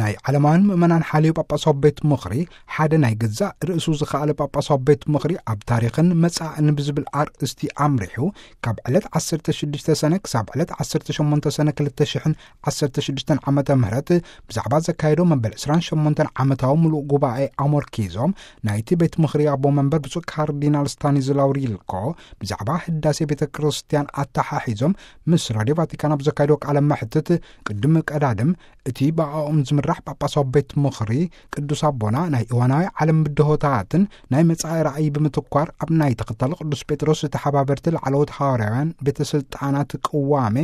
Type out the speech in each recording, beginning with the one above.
ናይ ዓለማውያን ምእመናን ሓልዮ ጳጳሳዊ ቤት ምኽሪ፣ ሓደ ናይ ገዛእ ርእሱ ዝኸኣለ ጳጳሳዊ ቤት ምኽሪ ኣብ ታሪኽን መጻእን ብዝብል ኣርእስቲ ኣምሪሑ፣ ካብ ዕለት ዓሰርተ ሽዱሽተ ሰነ ክሳብ ዕለት ዓሰርተ ሸሞንተ ሰነ ክልተ ሽሕን ዓሰርተ ሽዱሽተን ዓመተ ምህረት ብዛዕባ ዘካየዶ መበል ዕስራን ሸሞንተን ዓመታዊ ምሉእ ጉባኤ ኣሞርኪዞም፣ ናይቲ ቤት ምኽሪ ኣቦ መንበር ብፁዕ ካርዲናል ስታኒዝላው ሪልኮ ብዛዕባ ህዳሴ ቤተ ክርስቲያን ኣተሓሒዞም ምስ ራድዮ ቫቲካን ኣብ ዘካየዶ ቃለ መሕትት፣ ቅድሚ ቀዳድም እቲ ብኣኦም ዝምራሕ ጳጳሳዊ ቤት ምኽሪ ቅዱስ ኣቦና ናይ እዋናዊ ዓለም ብድሆታትን ናይ መጻኢ ራእይ ብምትኳር፣ ኣብ ናይ ተኸታሊ ቅዱስ ጴጥሮስ ተሓባበርቲ ላዕለዎት ሃዋርያውያን ቤተ ስልጣናት ቅዋሜ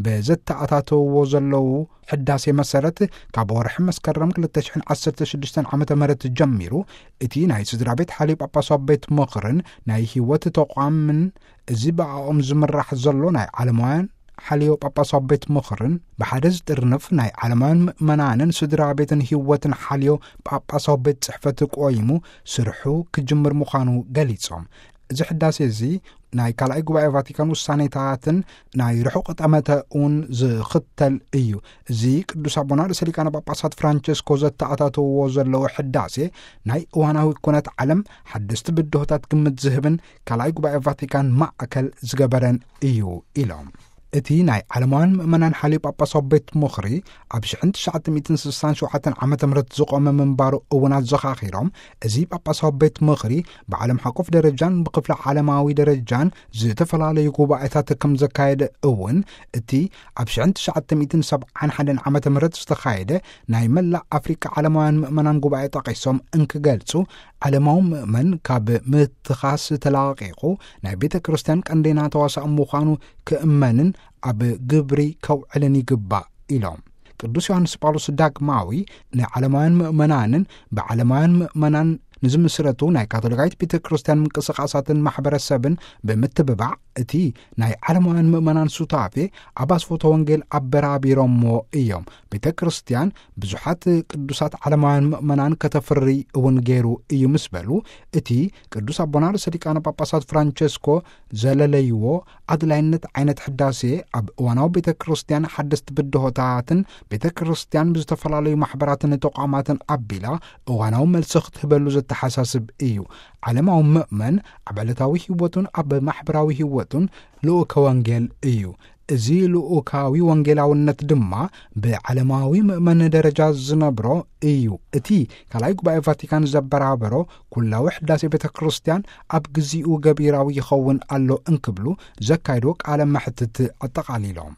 በዘተኣታተውዎ ዘለዉ ሕዳሴ መሰረት፣ ካብ ወርሒ መስከረም ክልተ ሽሕን ዓሰርተ ሽዱሽተን ዓመተ ምህረት ጀሚሩ፣ እቲ ናይ ስድራ ቤት ሓልዮ ጳጳሳዊ ቤት ምኽርን ናይ ህይወት ተቋምን፣ እዚ ብኣኦም ዝምራሕ ዘሎ ናይ ዓለማውያን ሓልዮ ጳጳሳዊ ቤት ምኽርን፣ ብሓደ ዝጥርንፍ ናይ ዓለማውያን ምእመናንን ስድራ ቤትን ህይወትን ሓልዮ ጳጳሳዊ ቤት ጽሕፈት ቆይሙ ስርሑ ክጅምር ምዃኑ ገሊጾም። እዚ ሕዳሴ እዚ ናይ ካልኣይ ጉባኤ ቫቲካን ውሳኔታትን ናይ ርሑቕ ጠመተ እውን ዝኽተል እዩ። እዚ ቅዱስ ኣቦና ርእሰ ሊቃነ ጳጳሳት ፍራንቸስኮ ዘተኣታተውዎ ዘለዉ ሕዳሴ፣ ናይ እዋናዊ ኩነት ዓለም ሓደስቲ ብድሆታት ግምት ዝህብን ካልኣይ ጉባኤ ቫቲካን ማእከል ዝገበረን እዩ ኢሎም። እቲ ናይ ዓለማውያን ምእመናን ሓልዮ ጳጳሳዊ ቤት ምኽሪ ኣብ ሽሕን ትሽዓተ ሚእትን ስሳን ሸውዓተን ዓመተ ምህረት ዝቖመ ምንባሩ እውን ኣዘኻኺሮም፣ እዚ ጳጳሳዊ ቤት ምኽሪ ብዓለም ሓቆፍ ደረጃን ብክፍለ ዓለማዊ ደረጃን ዝተፈላለዩ ጉባኤታት ከም ዘካየደ እውን፣ እቲ ኣብ ሽሕን ትሽዓተ ሚእትን ሰብዓን ሓደን ዓመተ ምህረት ዝተኻየደ ናይ መላእ ኣፍሪቃ ዓለማውያን ምእመናን ጉባኤ ጠቒሶም እንክገልጹ፣ ዓለማዊ ምእመን ካብ ምትኻስ ተላቒቑ ናይ ቤተ ክርስቲያን ቀንደኛ ተዋሳኢ ምዃኑ ክእመንን ኣብ ግብሪ ከውዕልን ይግባእ ኢሎም። ቅዱስ ዮሃንስ ጳውሎስ ዳግማዊ ንዓለማውያን ምእመናንን ብዓለማውያን ምእመናን ንዝምስረቱ ናይ ካቶሊካዊት ቤተ ክርስቲያን ምንቅስቓሳትን ማሕበረሰብን ብምትብባዕ፣ እቲ ናይ ዓለማውያን ምእመናን ሱታፌ ኣብ ኣስፎተ ወንጌል ኣበራቢሮምዎ እዮም። ቤተ ክርስቲያን ብዙሓት ቅዱሳት ዓለማውያን ምእመናን ከተፍሪ እውን ገይሩ እዩ ምስ በሉ፣ እቲ ቅዱስ ኣቦና ርእሰ ሊቃነ ጳጳሳት ፍራንቸስኮ ዘለለይዎ ኣድላይነት ዓይነት ሕዳሴ፣ ኣብ እዋናዊ ቤተ ክርስቲያን ሓደስቲ ብድሆታትን ቤተ ክርስቲያን ብዝተፈላለዩ ማሕበራትን ተቋማትን ኣቢላ እዋናዊ መልሲ ክትህበሉ ዘተሓሳስብ እዩ። ዓለማዊ ምእመን ኣብ ዕለታዊ ህይወቱን ኣብ ማሕበራዊ ህይወቱን ልኡከ ወንጌል እዩ። እዚ ልኡካዊ ወንጌላውነት ድማ ብዓለማዊ ምእመን ደረጃ ዝነብሮ እዩ። እቲ ካልኣይ ጉባኤ ቫቲካን ዘበራበሮ ኩላዊ ሕዳሴ ቤተ ክርስቲያን ኣብ ግዚኡ ገቢራዊ ይኸውን ኣሎ እንክብሉ ዘካይዶ ቃለ መሕትት ኣጠቓሊሎም።